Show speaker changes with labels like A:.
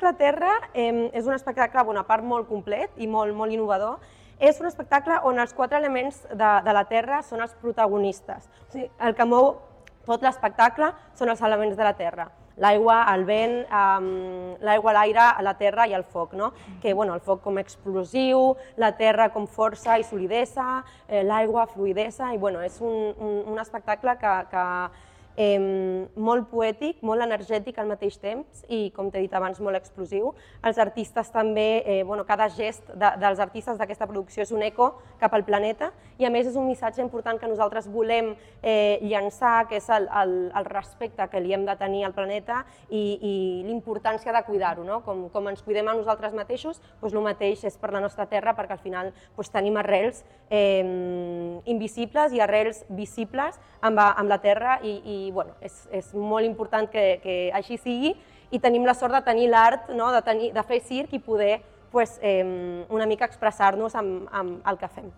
A: La Terra és un espectacle, a part molt complet i molt innovador. És un espectacle on els 4 elements de la Terra són els protagonistes. O sigui, el que mou tot l'espectacle són els elements de la Terra. L'aigua, el vent, l'aigua, l'aire, la terra i el foc. Que el foc com explosiu, la terra com força i solidesa, l'aigua, fluidesa, i és un espectacle que molt poètic, molt energètic al mateix temps i, com t'he dit abans, molt explosiu. Els artistes també, cada gest dels artistes d'aquesta producció és un eco cap al planeta i a més és un missatge important que nosaltres volem llançar, que és el respecte que li hem de tenir al planeta i l'importància de cuidar-ho. Com ens cuidem a nosaltres mateixos, el mateix és per la nostra terra, perquè al final tenim arrels invisibles i arrels visibles amb la terra i és molt important que així sigui i tenim la sort de tenir l'art, de fer circ i poder una mica expressar-nos amb el que fem.